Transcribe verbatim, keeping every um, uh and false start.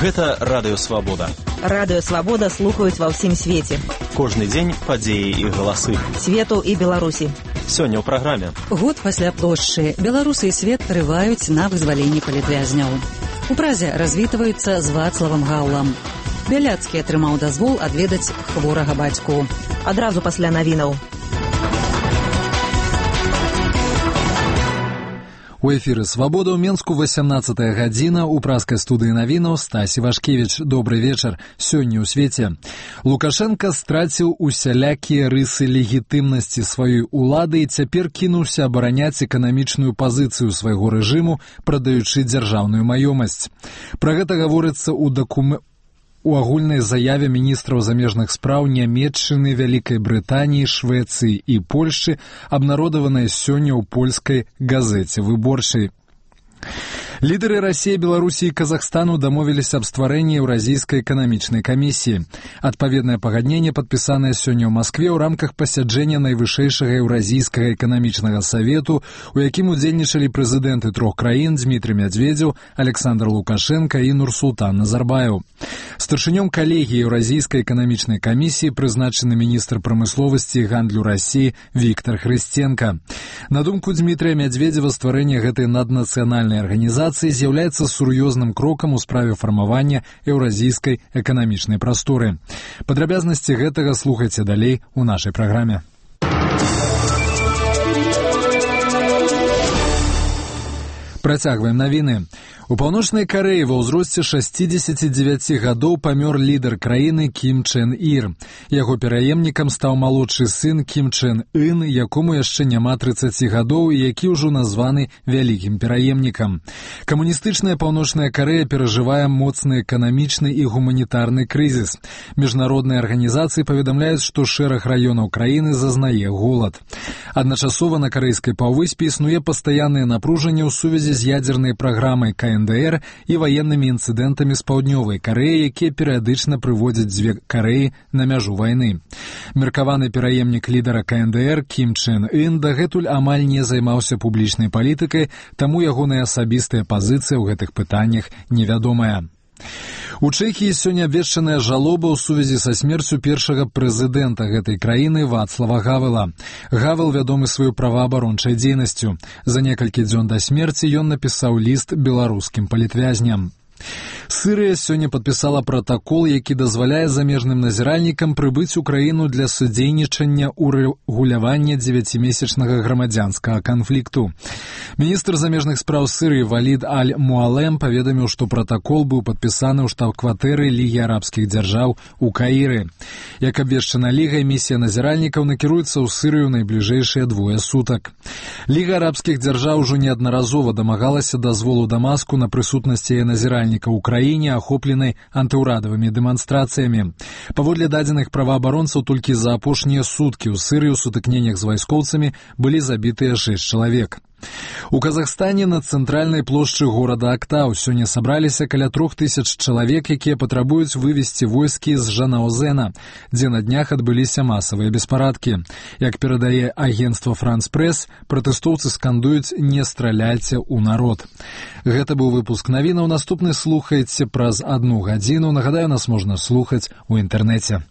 Гэта Радыё Свабода. Радыё Свабода слухаюць ва ўсім свеце. Кожны дзень падзеі і галасы. Свету і Беларусі. Сёння ў праграме. Год пасля плошчы. Беларусы і свет трываюць на вызваленні палітвязняў. У Празе развітваюцца з Вацлавам Гаўлам. Бяляцкі атрымаў дазвол адведаць хворага бацьку. Адразу пасля навінаў. У эфіры «Свабода» ў Менску васямнаццатая гадзіна. У праскай студыі навінаў Стась Івашкевіч. Добры вечар. Сёння ў свеце. Лукашенка страціў усялякія рысы легітымнасці сваёй улады і цяпер кінуўся абараняць эканамічную пазіцыю свайго рэжыму, прадаючы дзяржаўную маёмасць. Пра гэта гаворыцца ў дакуменце у агульнай заяве міністраў замежных спраў Нямецчыны, Вялікай Брытаніі, Швецыі і Польшчы, абнародаванай сёння ў польскай газеце «Выборчай». Лідары Расіі, Беларусі і Казахстану дамовіліся аб стварэнні Еўразійскай эканамічнай камісіі. Адпаведнае пагадненне падпісанае сёння ў Маскве ў рамках пасяджэння найвышэйшага Еўразійскага эканамічнага савету, у якім удзельнічалі прэзідэнты трох краін Дзмітрый Мядзведзеў, Александр Лукашенка і Нурсултан Назарбаеў. Старшынём калегіі Еўразійскай эканамічнай камісіі прызначаны міністр прамысловасці і гандлю Расіі Віктор Хрысценка. На думку Дзмітрыя Мядзведзева, стварэнне гэтай наднацыянальнай арганізацыі з'яўляецца сур'ёзным крокам у справе фармавання еўразійскай эканамічнай прасторы. Падрабязнасці гэтага слухайце далей у нашай праграме. Працягваем навіны. У Паўночнай Карэі ва ўзросце шасцідзесяці дзевяці гадоў памёр лідар краіны Кім Чен Ір. Яго пераемнікам стаў малодшы сын Кім Чен Ын, якому яшчэ няма трыццаці гадоў і які ўжо названы вялікім пераемнікам. Камуністычная Паўночная Карэя перажывае моцны эканамічны і гуманітарны крызіс. Міжнародныя арганізацыі паведамляюць, што шэраг раёнаў краіны зазнае голад. Адначасова на карэйскай паўвыспе існуе пастаяннае напружанне ў сувязі з ядзернай праграмай ка эн дэ эр і ваеннымі інцыдэнтамі з Паўднёвай Карэі, якія перыядычна прыводзяць дзве Карэі на мяжу вайны. Меркаваны пераемнік лідара ка эн дэ эр Кім Чен Ын дагэтуль амаль не займаўся публічнай палітыкай, таму ягоная асабістая пазіцыя ў гэтых пытаннях невядомая. У Чэхіі сёння абвешчаная жалоба ў сувязі са смерцю першага прэзідэнта гэтай краіны Вацлава Гавела. Гавел вядомы сваёй праваабарончай дзейнасцю. За некалькі дзён да смерці ён напісаў ліст беларускім палітвязням. Сырыя сёння падпісала пратакол, які дазваляе замежным назіральнікам прыбыць у краіну для садзейнічання ў рэгулявання дзевяцімесячнага грамадзянскага канфлікту. Міністр замежных спраў Сырыі Валід Аль-Муалем паведаміў, што пратакол быў падпісаны ў штаб-кватэры Лігі арабскіх дзяржаў у Каіры. Як абвешчана Лігай, місія назіральнікаў накіруецца ў Сырыю найбліжэйшыя двое сутак. Ліга арабскіх дзяржаў ужо неаднаразова дамагалася дазволу Дамаску на прысутнасць яе назіральніка ў краіне, ахопленай антыўрадавымі дэманстрацыямі. Паводле дадзеных праваабаронцаў, толькі за апошнія суткі ў Сырыі ў сутыкненнях з вайскоўцамі былі забітыя шэсць чалавек. У Казахстане на цэнтральнай плошчы горада Актау сёння сабраліся каля трох тысяч чалавек, якія патрабуюць вывесці войскі з Жанаозена, дзе на днях адбыліся масавыя беспарадкі. Як перадае агенцтва «Франс Прэс», пратэстоўцы скандуюць «Не страляйце ў народ». Гэта быў выпуск навінаў. Наступны слухайце праз адну гадзіну. Нагадаю, нас можна слухаць у інтэрнэце.